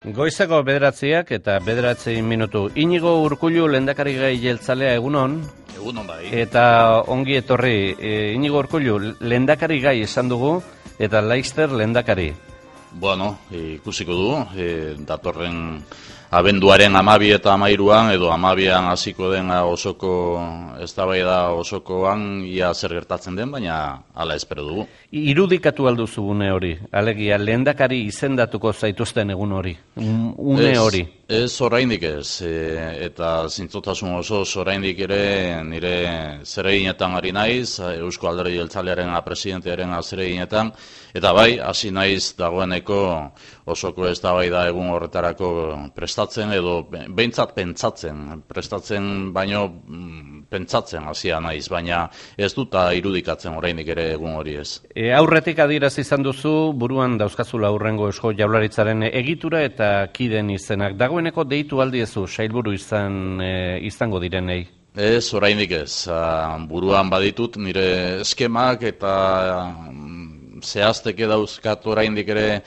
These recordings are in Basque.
Goizeko 9:00 eta 9:00. Inigo Urkullu lehendakari gai jeltzalea egunon. Egunon bai. Eta ongi etorri, Inigo Urkullu lehendakari gai esan dugu eta Laster lehendakari. Bueno, ikusiko du, datorren abenduaren 12 eta 13 edo 12an hasiko den osoko eztabaida osokoan ia zer gertatzen den, baina hala espero dugu. Irudikatu alduzu une hori, alegia lehendakari izendatuko zaituzten egun hori, une hori. Ez oraindik ez, eta zintzotasun oso oraindik ere nire zereginetan ari naiz, Eusko Alderdi Jeltzalearen presidentearen zereginetan, eta bai, hasi naiz dagoeneko osoko eztabaida egun horretarako prestatzen edo behintzat pentsatzen, prestatzen baino pentsatzen hasia naiz, baina ez dut irudikatzen oraindik ere egun hori ez. Aurretik adierazi izan duzu, buruan dauzkazula aurrengo Eusko Jaurlaritzaren egitura eta kideen izenak. Dagoeneko deitu aldiezu sailburu izango direnei? Ez, oraindik ez. Buruan baditut nire eskemak eta zehazteke dauzkat oraindik ere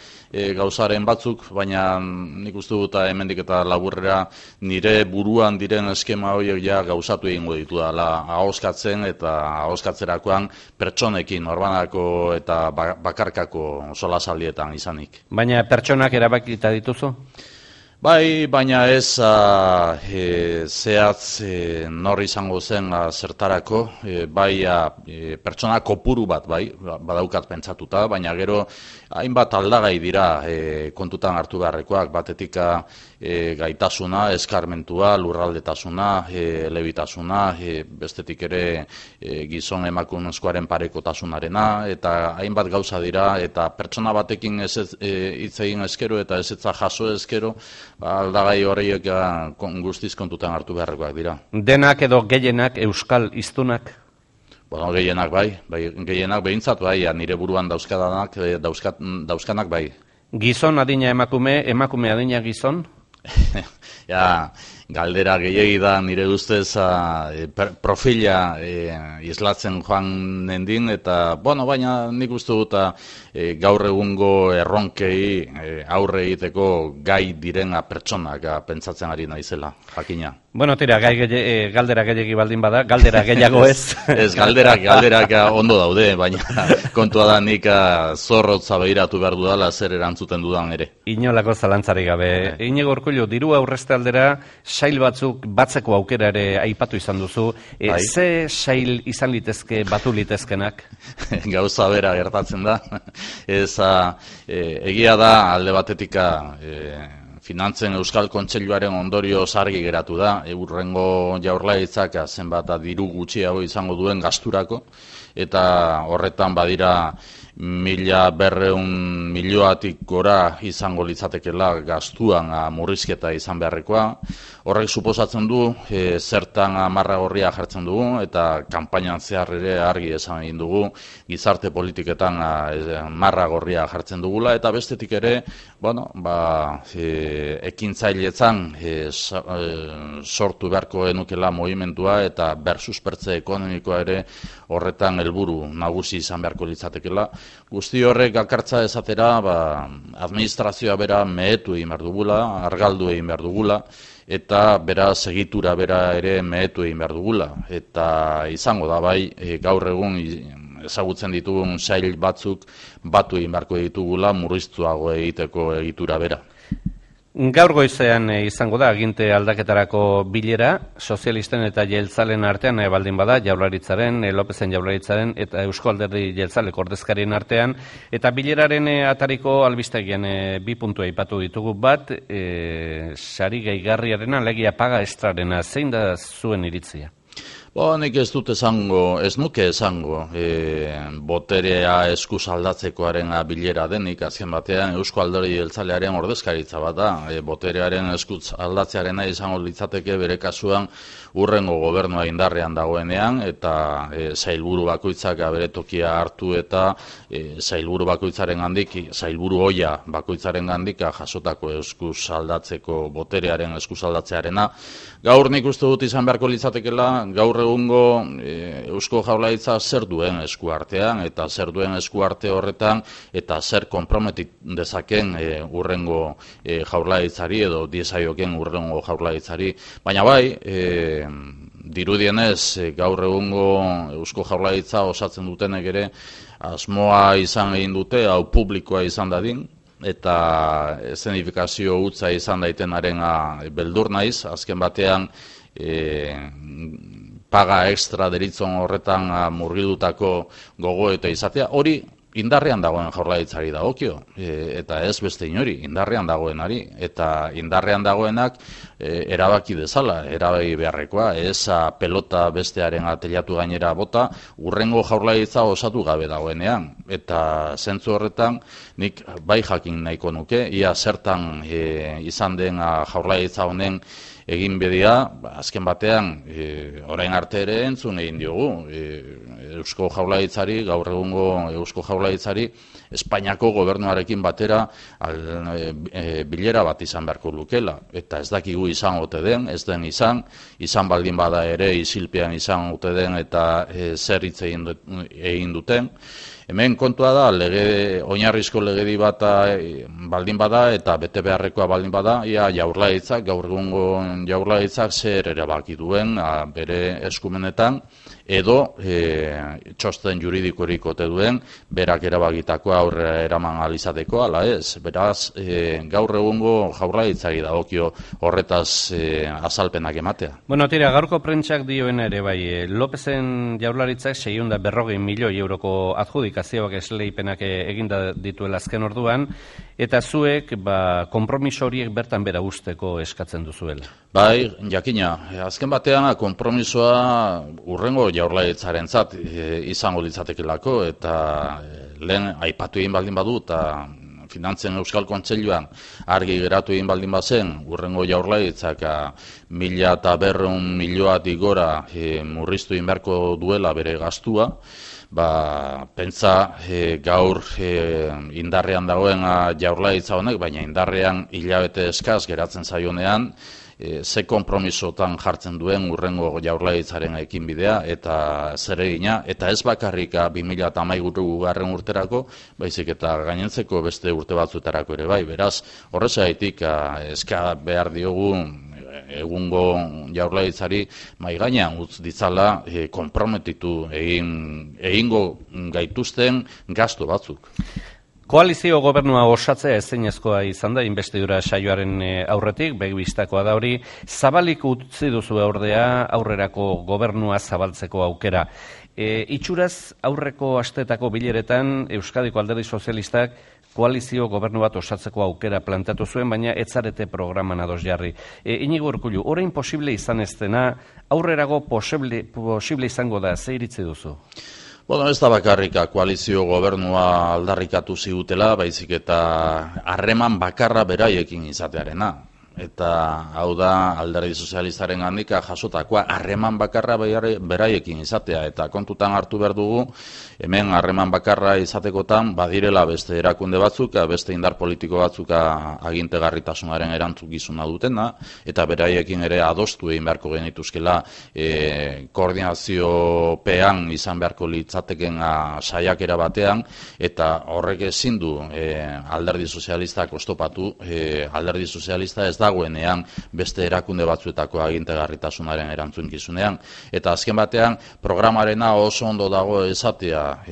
gauzaren batzuk, baina nik uste dut hemendik eta laburrera nire buruan diren eskema horiek ja gauzatu egingo ditu dela ahoskatzen eta ahoskatzerakoan pertsonekin norbanako eta bakarkako solasaldietan izanik. Baina pertsonak erabakita dituzu? Bai, baina ez zehatz nor izango zen zertarako, bai pertsona kopuru bat, bai, badaukat pentsatuta, baina gero hainbat aldagai dira kontutan hartu beharrekoak, batetik gaitasuna, eskarmentua, lurraldetasuna, elebitasuna, bestetik ere gizon emakumezkoaren parekotasunarena, eta hainbat gauza dira, eta pertsona batekin hitz egin ezkero eta ezetza jaso ezkero, aldagai horiek guztiz kontutan hartu beharrekoak dira. Denak edo gehienak euskal hiztunak? Bueno, gehienak bai, gehienak behintzat bai, nire buruan dauzkanak bai. Gizon adina emakume adina gizon? Ja, galdera gehiegi da nire ustez profila islatzen joan nendin, eta, bueno, baina nik uste dut gaur egungo erronkei aurre egiteko gai direna pertsonak pentsatzen ari naizela, jakina. Bueno, tira, galdera gehiagi baldin bada, galdera gehiago ez. Ez, galderak ondo daude, baina kontua da nik zorrotza behiratu behar dudala zer erantzuten dudan ere. Inolako zalantzarik gabe. Inigo Urkullu, diru aurrezte aldera sail batzuk batzeko aukera ere aipatu izan duzu. Ze sail izan litezke, batu litezkenak? Gauza bera gertatzen da. Ez, egia da alde batetik Finantzen Euskal Kontseiluaren ondorio argi geratu da, hurrengo Jaurlaritzak zenbat diru gutxiago izango duen gasturako, eta horretan badira 1.200 milioatik gora izango litzatekela gastuan murrizketa izan beharrekoa. Horrek suposatzen du zertan marra gorria jartzen dugu eta kanpainan zehar ere argi esan egin dugu gizarte politiketan marra gorria jartzen dugula, eta bestetik ere, bueno, ekintzailetzan sortu beharko enukela movimendua eta bersuspertze ekonomikoa ere horretan helburu nagusi izan beharko litzatekela. Guzti horrek alkartza esatera, administrazioa bera mehetu egin behar dugula, argaldu egin behar dugula, eta bera segitura bera ere mehetu egin behar dugula. Eta izango da bai, gaur egun ezagutzen ditugun sail batzuk batu egin beharko ditugula murriztuago egiteko egitura bera. Gaur goizean izango da aginte aldaketarako bilera, sozialisten eta jeltzalen artean baldin bada, Jaurlaritzaren, Lopezen Jaurlaritzaren eta Eusko Alderdi Jeltzaleko ordezkarien artean, eta bileraren atariko albistegian 2 puntu aipatu ditugu. Bat, sari gehigarriarena, alegia paga estrarena, zein da zuen iritzia? Nik ez nuke esango boterea eskuz aldatzekoaren bilera denik, azken batean Eusko Alderdi Jeltzalearen ordezkaritza bat da, boterearen eskuz aldatzearena izango litzateke bere kasuan urrengo gobernua indarrean dagoenean, eta sailburu bakoitzak bere tokia hartu eta sailburu bakoitzaren gandik, sailburu oia bakoitzaren gandik jasotako eskuz aldatzeko boterearen eskuz aldatzearena. Gaur nik uste dut izan beharko litzatekela, gaur egungo Eusko Jaurlaritza zer duen eskuartean, eta zer duen eskuarte horretan, eta zer konprometit dezaken urrengo Jaurlaritzari, edo diezaioken urrengo Jaurlaritzari. Baina bai, dirudienez gaur egungo Eusko Jaurlaritza osatzen dutenek ere asmoa izan egin dute, hau publikoa izan dadin, eta eszenifikazio hutsa izan daitenaren beldur naiz, azken batean paga extra deritzon horretan murgildutako gogoeta izatea, hori indarrean dagoen Jaurlaritzari dagokio, eta ez beste inori, indarrean dagoenari, eta indarrean dagoenak erabaki dezala, erabaki beharrekoa, ez pelota bestearen telatu gainera bota, urrengo Jaurlaritza osatu gabe dagoenean, eta zentzu horretan nik bai jakin nahiko nuke, ia zertan izan den Jaurlaritza honen egin bedia, azken batean, orain arte ere entzun egin diogu, Eusko Jaurlaritzari, gaur egungo Eusko Jaurlaritzari, Espainiako gobernuarekin batera bilera bat izan beharko lukela, eta ez dakigu izan ote den, ez den izan baldin bada ere isilpean izan ote den, eta zer hitz egin duten. Hemen kontua da, oinarrizko legedi bat baldin bada eta bete beharrekoa baldin bada, ia Jaurlaritzak, gaur egungo Jaurlaritzak zer erabaki duen bere eskumenetan, edo txosten juridikorik ote duen, berak erabakitakoa aurrera eraman ahal izateko, ala ez. Beraz, gaur egungo Jaurlaritzari dagokio horretaz azalpenak ematea. Bueno, tira, gaurko prentsak dioena ere bai, Lopezen Jaurlaritzak 640 milioi euroko adjudikazioak esleipenak eginda dituela azken orduan, eta zuek konpromiso horiek bertan bera usteko eskatzen duzuela. Bai, jakina, azken batean konpromisoa urrengo Jaurlaritzarentzat izango litzatekelako, eta lehen aipatu egin baldin badu, eta Finantzen Euskal Kontseiluan argi geratu egin baldin bazen, urrengo Jaurlaritzak 1.200 milioatik gora murriztu egin beharko duela bere gastua, pentsa gaur indarrean dagoen Jaurlaritza honek, baina indarrean hilabete eskaz geratzen zaionean, ze konpromisotan jartzen duen urrengo Jaurlaritzaren ekinbidea eta zer egina, eta ez bakarrik 2013 urterako, baizik eta gainentzeko beste urte batzuetarako ere bai. Beraz, horrezaitik eska behar diogu egungo Jaurlaritzari mai gainean utz ditzala konprometitu egingo gaituzten gastu batzuk. Koalizio gobernua osatzea ezinezkoa izan da inbestidura saioaren aurretik, begibistakoa da hori, zabalik utzi duzu ordea aurrerako gobernua zabaltzeko aukera. Itxuraz aurreko astetako bileretan Euskadiko Alderdi Sozialistak koalizio gobernu bat osatzeko aukera planteatu zuen, baina ez zarete programan ados jarri. Inigo Urkullu, orain posible izan ez dena, aurrerago posible izango da, ze iritzi duzu? Bueno, ez da bakarrika koalizio gobernua aldarrikatu zigutela, baizik eta harreman bakarra beraiekin izatearena. Eta hau da Alderdi Sozialistaren handika jasotakoa harreman bakarra beraiekin izatea, eta kontutan hartu behar dugu, hemen harreman bakarra izatekotan badirela beste erakunde batzuk, beste indar politiko batzuk agintegarritasunaren erantzukizuna dutena, eta beraiekin ere adostu egin beharko genituzkela koordinaziopean izan beharko litzateken saiakera batean, eta horrek ezin du Alderdi Sozialistak oztopatu, Alderdi Sozialista ez dagoenean beste erakunde batzuetako agintegarritasunaren erantzunkizunean. Eta azken batean, programarena oso ondo dago esatea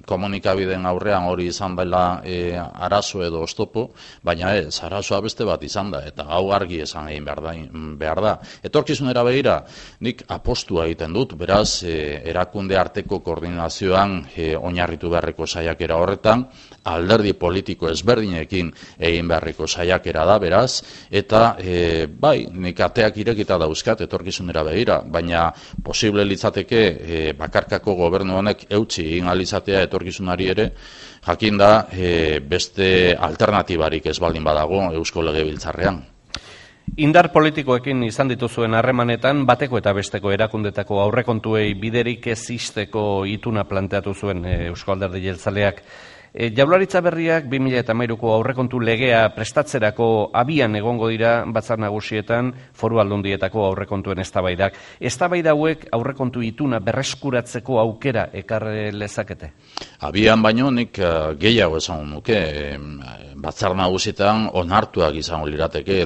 komunikabideen aurrean hori izan dela arazo edo oztopo, baina ez, arazoa beste bat izan da, eta hau argi esan egin behar da. Etorkizunera begira, nik apostua egiten dut, beraz, erakunde arteko koordinazioan oinarritu beharreko saiakera horretan, alderdi politiko ezberdinekin egin beharreko saiakera da, beraz, eta bai, nik ateak irekita dauzkat etorkizunera begira, baina posible litzateke bakarkako gobernu honek eutsi egin alizatea etorkizunari ere, jakinda beste alternatibarik ez baldin badago Eusko Legebiltzarrean. Indar politikoekin izan dituzuen harremanetan, bateko eta besteko erakundetako aurrekontuei biderik ez izteko ituna planteatu zuen Eusko Alderdi Jeltzaleak. Jaurlaritza berriak 2013ko aurrekontu legea prestatzerako abian egongo dira batzar nagusietan foru aldundietako aurrekontuen eztabaidak. Eztabaida hauek aurrekontu ituna berreskuratzeko aukera ekar lezakete? Abian baino nik gehiago esango nuke, batzar nagusietan onartuak izango lirateke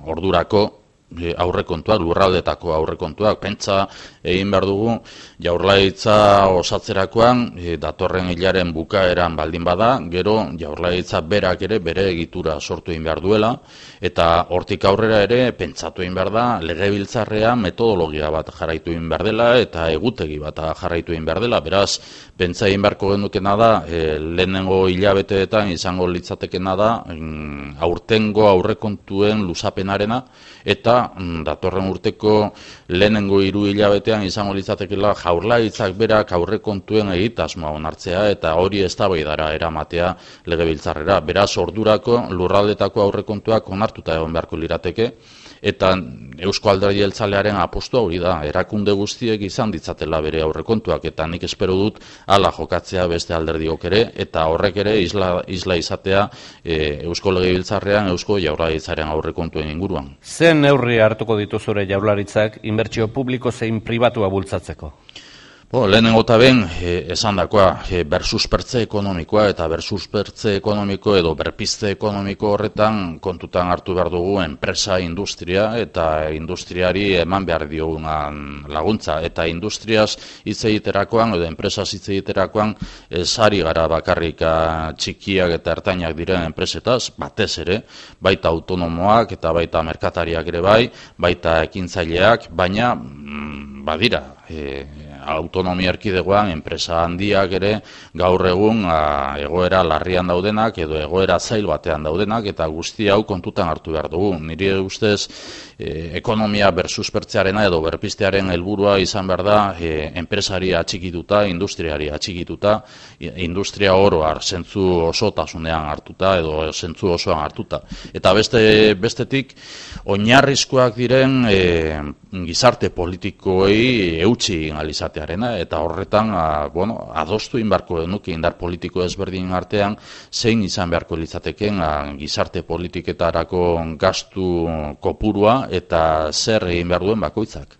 ordurako aurrekontuak, lurraldetako aurrekontuak, pentsa egin behar dugu Jaurlaritza osatzerakoan datorren hilaren bukaeran baldin bada, gero Jaurlaritza berak ere bere egitura sortu egin behar duela, eta hortik aurrera ere pentsatu egin behar da legebiltzarrean metodologia bat jarraitu egin behar dela eta egutegi bat jarraitu egin behar dela, beraz pentsa egin beharko genukena da lehenengo hilabeteetan izango litzatekena da aurtengo aurrekontuen luzapenarena eta datorren urteko lehenengo 3 hilabetean izango litzatekeela Jaurlaritzak berak aurrekontuen egitasmoa onartzea eta hori eztabaidara eramatea legebiltzarrera. Beraz ordurako lurraldetako aurrekontuak onartuta egon beharko lirateke eta Eusko Alderdi Jeltzalearen apustua hori da, erakunde guztiek izan ditzatela bere aurrekontuak eta nik espero dut hala jokatzea beste alderdiok ere eta horrek ere isla izatea Eusko Legebiltzarrean Eusko Jaurlaritzaren aurrekontuen inguruan. Zen neurri hartuko ditu zure Jaurlaritzak inbertsio publiko zein pribatua bultzatzeko? Lehenengo eta ben, esandakoa, bersuspertze ekonomikoa eta bersuspertze ekonomiko edo berpizte ekonomiko horretan kontutan hartu behar dugu enpresa industria eta industriari eman behar diogunan laguntza. Eta industriaz hitz egiterakoan edo enpresaz hitz egiterakoan sari gara bakarrik txikiak eta ertainak diren enpresetaz, batez ere, baita autonomoak eta baita merkatariak ere baita ekintzaileak, baina badira, autonomia erkidegoan enpresa handiak ere gaur egun egoera larrian daudenak edo egoera zail batean daudenak eta guzti hau kontutan hartu behar dugu. Nire ustez ekonomia bersuspertzearena edo berpiztearen helburua izan behar da enpresari atxikituta, industriari atxikituta, industria oroar zentzu osotasunean hartuta edo zentzu osoan hartuta. Eta bestetik oinarrizkoak diren gizarte politikoei eutsi alizatearena eta horretan adostu inbarko denuke indar politiko ezberdin artean zein izan beharko litzateken gizarte politiketarako gastu kopurua eta zer egin behar duen bakoitzak.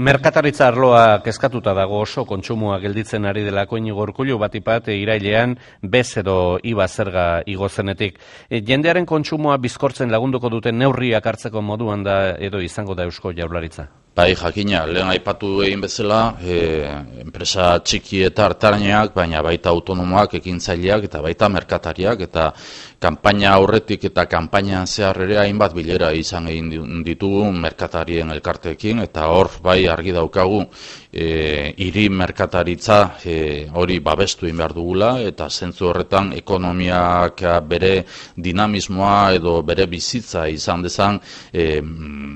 Merkataritza arloa kezkatuta dago oso kontsumoa gelditzen ari delako Inigo Urkullu batipat irailean bez edo IVA zerga igo zenetik. Jendearen kontsumoa bizkortzen lagunduko duten neurriak hartzeko moduan da edo izango da Eusko Jaurlaritza? Bai, jakina, lehen aipatu egin bezala, enpresa txiki eta hartarainak, baina baita autonomoak, ekintzaileak eta baita merkatariak eta kanpaina aurretik eta kanpainan zehar ere hainbat bilera izan egin ditugu merkatarien elkarteekin eta hor bai argi daukagu hiri merkataritza hori babestu egin behar dugula eta zentzu horretan ekonomiak bere dinamismoa edo bere bizitza izan dezan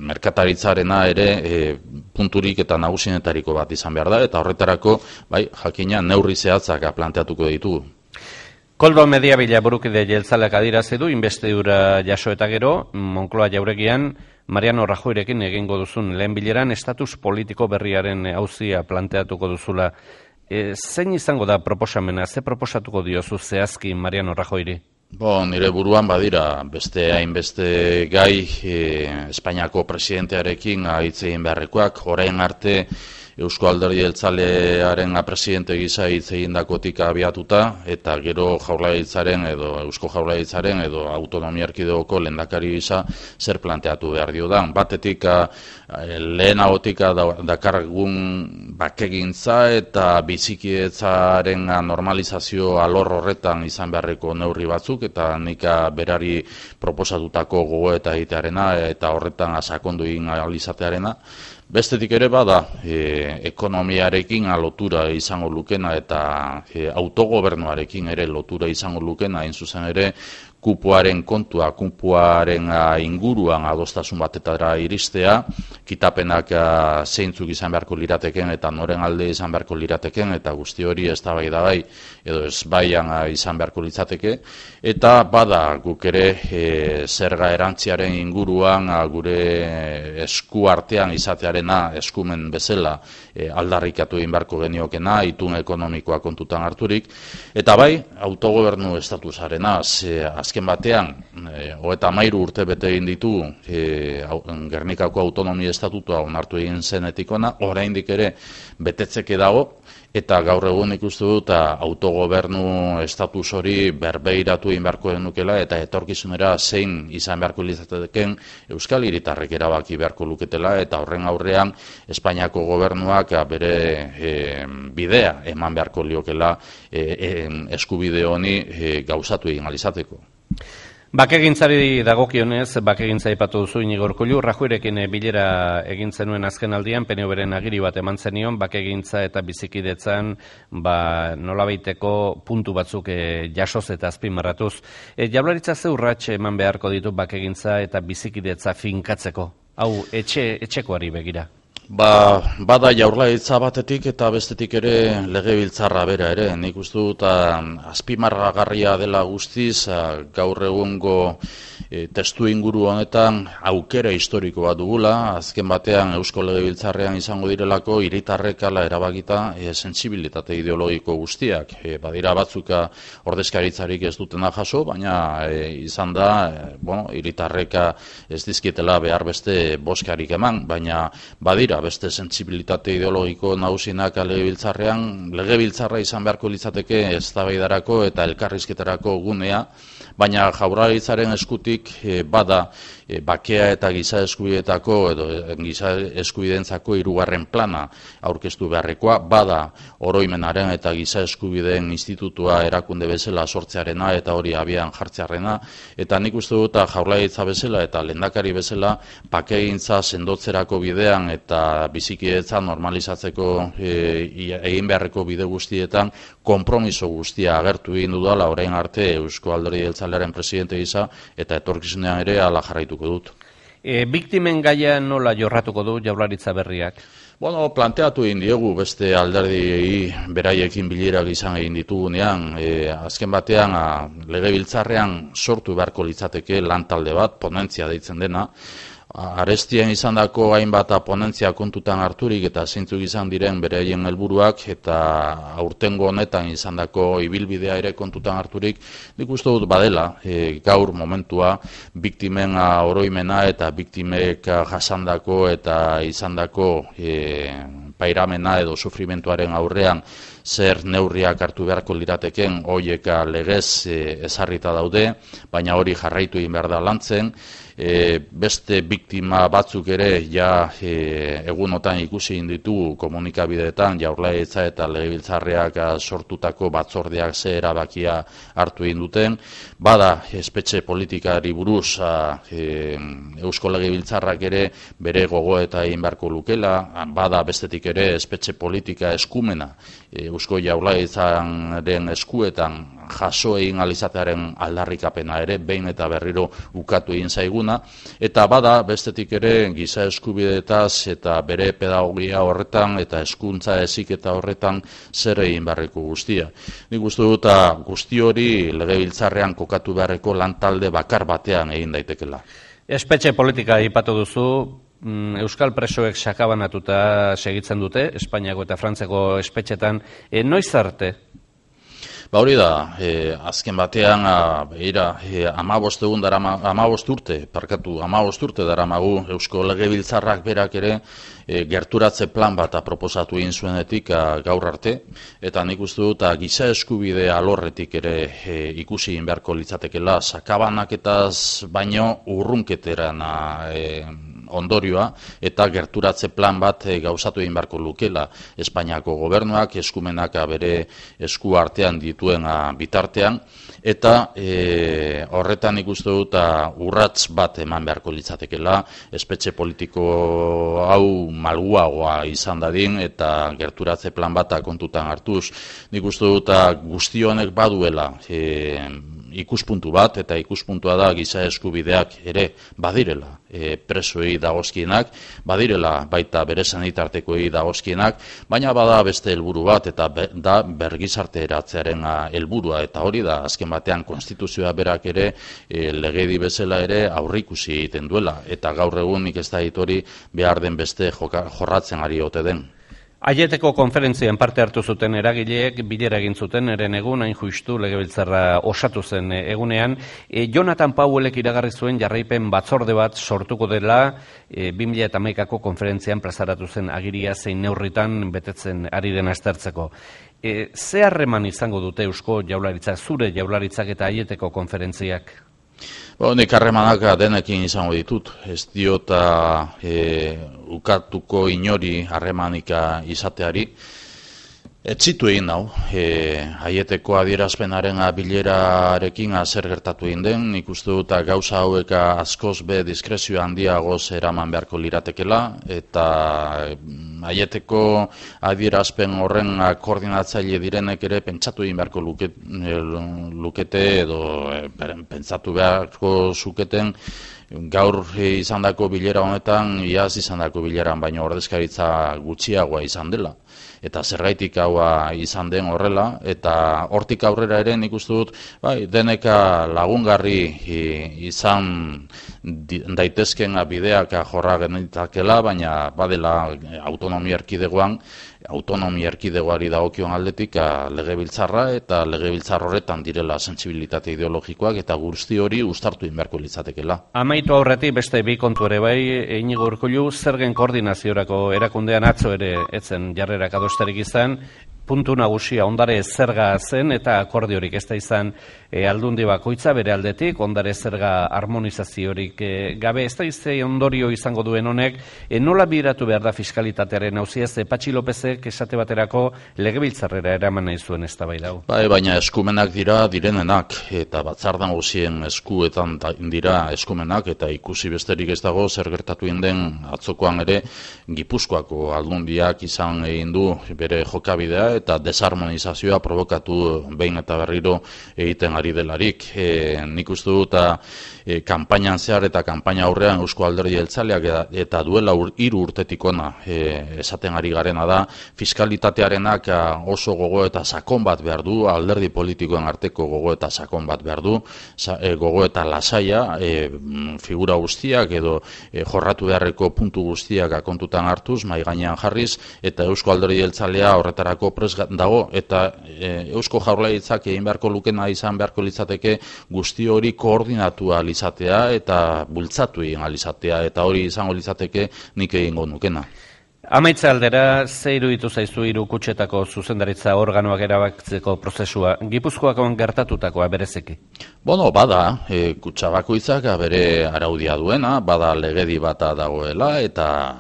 merkataritzarena ere punturik eta nagusienetariko bat izan behar da eta horretarako bai jakina neurri zehatzak planteatuko ditugu. Koldo Mediabila burukide jeltzaleak adierazi du inbestidura jaso eta gero Moncloa jauregian Mariano Rajoyrekin egingo duzun lehen bileran estatus politiko berriaren auzia planteatuko duzula. Zein izango da proposamena? Ze proposatuko diozu zehazki Mariano Rajoyri? Nire buruan badira beste hainbeste gai Espainiako presidentearekin hitz egin beharrekoak, orain arte Eusko Alderdi Jeltzalearen presidente gisa hitz egindakotik abiatuta eta gero Jaurlaritzaren edo Eusko Jaurlaritzaren edo autonomia erkidegoko lehendakari gisa zer planteatu behar diodan. Batetik lehenagotik dakargun bakegintza eta bizikidetzaren normalizazio alor horretan izan beharreko neurri batzuk eta nik berari proposatutako gogoeta egitearena eta horretan sakondu egin ahal izatearena. Bestetik ere bada ekonomiarekin lotura izango lukena eta autogobernuarekin ere lotura izango lukena, hain zuzen ere kupoaren kontua, kupoaren inguruan adostasun batetara iristea kitapenak zeintzuk izan beharko lirateken eta noren alde izan beharko lirateken, eta guzti hori eztabaidagai edo ezbaian izan beharko litzateke, eta bada guk ere zerga erantziaren inguruan gure esku artean izatearena eskumen bezala aldarrikatu egin beharko geniokena, itun ekonomikoa kontutan harturik, eta bai, autogobernu estatusarena, azken batean, 33 urte bete egin ditu Gernikako autonomia estatutua onartu egin zenetik ona, oraindik ere betetzeke dago, eta gaur egun ikustu dut autogobernu estatus hori berbeiratu egin beharko denukela, eta etorkizunera zein izan beharko litzateken Euskal Hiritarrek erabaki beharko luketela, eta horren aurrean Espainiako gobernuak bere bidea eman beharko liokela eskubide honi gauzatu egin alizateko. Bakegintzari dagokionez, bakegintza aipatu duzu Inigo Urkullu, Rajoyrekin bilera egin zenuen azken aldian, PNV-ren agiri bat eman zenion, bakegintza eta bizikidetzan nolabaiteko puntu batzuk jasoz eta azpimarratuz. Jaurlaritza ze urrats eman beharko ditu bakegintza eta bizikidetza finkatzeko? Hau, etxekoari begira. Bada jaurlaritza batetik eta bestetik ere legebiltzarra bera ere. Nik uste dut azpimarragarria dela guztiz gaur egungo testu inguru honetan aukera historiko bat dugula. Azken batean Eusko Legebiltzarrean izango direlako hiritarrek hala erabakita sentsibilitate ideologiko guztiak. Badira batzuk ordezkaritzarik ez dutena jaso, baina izan da hiritarrek ez dizkietela behar beste boskarik eman, baina badira beste sentsibilitate ideologiko nagusienak legebiltzarra izan beharko litzateke eztabaidarako eta elkarrizketarako gunea, baina Jaurlaritzaren eskutik bada bakea eta giza eskubideetako edo giza eskubidentzako 3. plana aurkeztu beharrekoa, bada oroimenaren eta giza eskubideen institutua erakunde bezala sortzearena eta hori abian jartzearena, eta nik uste dut Jaurlaritza bezala eta lehendakari bezala bakegintza sendotzerako bidean eta bizikidetza normalizatzeko egin beharreko bide guztietan konpromiso guztia agertu egin dudala orain arte Eusko Alderdi Jeltzalearen presidente gisa, eta etorkizunean ere hala jarraituko dut. Biktimen gaia nola jorratuko du Jaurlaritza berriak? Planteatu egin diegu beste alderdiei beraiekin bilerak izan egin ditugunean, azken batean legebiltzarrean sortu beharko litzateke lantalde bat, ponentzia deitzen dena, arestien izandako hainbat ponentzia kontutan harturik eta zeintzuk izan diren beraien helburuak eta aurtengo honetan izandako ibilbidea ere kontutan harturik, nik uste dut badela gaur momentua biktimen oroimena eta biktimek jasandako eta izandako pairamena edo sufrimentuaren aurrean zer neurriak hartu beharko lirateken horiek legez ezarrita daude, baina hori jarraitu egin behar da lantzen. Beste biktima batzuk ere egunotan ikusi ditugu komunikabideetan Jaurlaritza eta Legebiltzarreak sortutako batzordeak ze erabakia hartu egin duten. Bada espetxe politikari buruz Eusko Legebiltzarrak ere bere gogoeta egin beharko lukela, bada bestetik ere espetxe politika eskumena Eusko Jaurlaritzaren eskuetan jaso egin alizatearen aldarrikapena ere behin eta berriro ukatu egin zaiguna, eta bada bestetik ere giza eskubideetaz eta bere pedagogia horretan eta hezkuntza heziketa horretan zer egin beharreko guztia. Nik uste dut guzti hori Legebiltzarrean kokatu beharreko lantalde bakar batean egin daitekela. Espetxe politika aipatu duzu, Euskal presoek sakabanatuta segitzen dute, Espainiako eta Frantziako espetxetan, noiz arte? Hori da, azken batean, 15 urte daramagu Eusko Legebiltzarrak berak ere gerturatze plan bat proposatu egin zuenetik gaur arte, eta nik uste dut giza eskubide alorretik ere ikusi egin beharko litzatekela, sakabanaketaz baino urrunketeran ondorioa eta gerturatze plan bat gauzatu egin beharko lukela Espainiako gobernuak eskumenak bere esku artean dituen bitartean, eta horretan ikuste dut urrats bat eman beharko litzatekela, espetxe politiko hau malguagoa izan dadin eta gerturatze plan bat kontutan hartuz. Nik uste dut guzti honek baduela ikuspuntu bat, eta ikuspuntua da giza eskubideak ere badirela presoei dagozkienak, badirela baita bere sanitartekoei dagozkienak, baina bada beste helburu bat, eta da bergizarte eratzearen helburua, eta hori da azken batean konstituzioa berak ere legedi bezala ere aurrikusi egiten duela, eta gaur egun nik ez da hori behar den beste jorratzen ari ote den. Aieteko konferentzian parte hartu zuten eragileek bilera egin zuten eren egun, hain justu legebiltzarra osatu zen egunean. Jonathan Powellek iragarri zuen jarraipen batzorde bat sortuko dela 2011ko konferentzian plazaratu zen agiria zein neurritan betetzen ari dena aztertzeko. Ze harreman izango dute Eusko Jaurlaritzak, zure Jaurlaritzak eta Aieteko konferentziak? Nik harremanak denekin izango ditut, ez diota ukatuko inori harremanika izateari. Etzitu egin nau, Aieteko adierazpenaren bilerarekin zer gertatu egin den, nik uste dut gauza hauek askoz be diskrezio handiagoz eraman beharko liratekela, eta Aieteko adierazpen horren koordinatzaile direnek ere pentsatu egin beharko lukete edo pentsatu beharko zuketen gaur izandako bilera honetan, iaz izandako bileran baino ordezkaritza gutxiagoa izan dela. Eta zergaitik haua izan den horrela, eta hortik aurrera ere nik uste dut, deneka lagungarri izan daitezken bideak jorra genitakela, baina badela autonomia erkidegoari dagokion aldetik legebiltzarra, eta legebiltzar horretan direla sentsibilitate ideologikoak, eta guzti hori uztartu inberko litzatekela. Amaitu aurretik beste bi kontu ere bai, Iñigo Urkullu, zergen koordinaziorako erakundean atzo ere etzen jarrerak adosterik izan, puntu nagusia ondare zerga zen eta akordiorik ez da izan aldundi bakoitza bere aldetik, ondare zerga harmonizaziorik gabe ez da izan ondorio izango duen honek, nola biratu behar da fiskalitatearen hauziaz, Patxi Lopezek esate baterako legebiltzarrera eraman nahi zuen ez da bai dau. Baina eskumenak dira direnenak, eta batzardan guzien eskuetan dira eskumenak, eta ikusi besterik ez dago zer gertatu den atzokoan ere Gipuzkoako aldundiak izan egin du bere jokabidea, eta desarmonizazioa provokatu behin eta berriro egiten ari delarik. Nik uste dut kanpainan zehar eta kanpaina aurrean Eusko Alderdi Jeltzaleak eta duela 3 urtetik ona esaten ari garena da, fiskalitatearenak oso gogo eta sakon bat behar du, alderdi politikoen arteko gogo eta sakon bat behar du, gogo eta lasaia, figura guztiak edo jorratu beharreko puntu guztiak kontutan hartuz, mahai gainean jarriz, eta Eusko Alderdi Jeltzalea horretarako dago, eta Eusko Jaurlaritzak egin beharko lukena izan beharko litzateke guzti hori koordinatua lizatea eta bultzatu egin alizatea, eta hori izango litzateke nik egingo nukena. Amaitza aldera, ze iruditu zaizu 3 kutxetako zuzendaritza organoak erabakitzeko prozesua, Gipuzkoakoan gertatutakoa berezeki? Bada, kutxa bakoitzak bere araudia duena, bada legedi bata dagoela, eta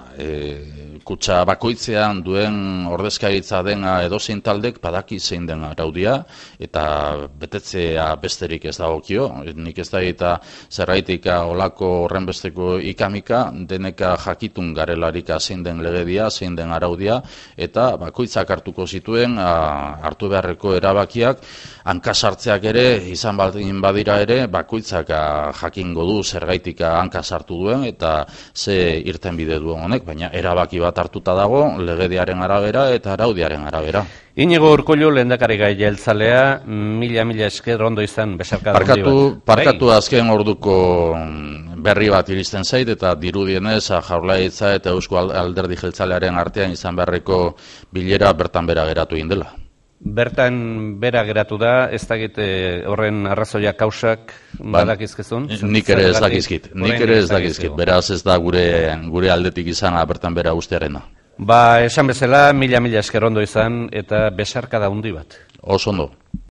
kutxa bakoitzean duen ordezkaritza dena edozein taldek badaki zein den araudia, eta betetzea besterik ez dagokio. Nik ez da eta zerraitik olako horrenbesteko ikamika, deneka jakitun garelarik zein den legedia, zein den araudia, eta bakoitzak hartuko zituen hartu beharreko erabakiak, hankasartzeak ere, izan baldin badira ere, bakoitzak jakingo du zergaitik hankasartu duen, eta ze irtenbide duen honek, baina erabaki bat hartuta dago, legediaren arabera eta araudiaren arabera. Inigo Urkullu lehendakari jeltzalea, mila esker ondo izan besarkada handi bat. Parkatu azken orduko berri bat iristen zait, eta dirudienez Jaurlaritza eta Eusko Alderdi Jeltzalearen artean izan beharreko bilera bertan bera geratu egin dela. Bertan bera geratu da, ez dakit horren arrazoia kausak badakizkezun? Nik ere ez dakizkit, beraz ez da gure aldetik izan bertan bera ustearena. Esan bezala, mila esker ondo izan eta besarkada handi bat. Oso ondo.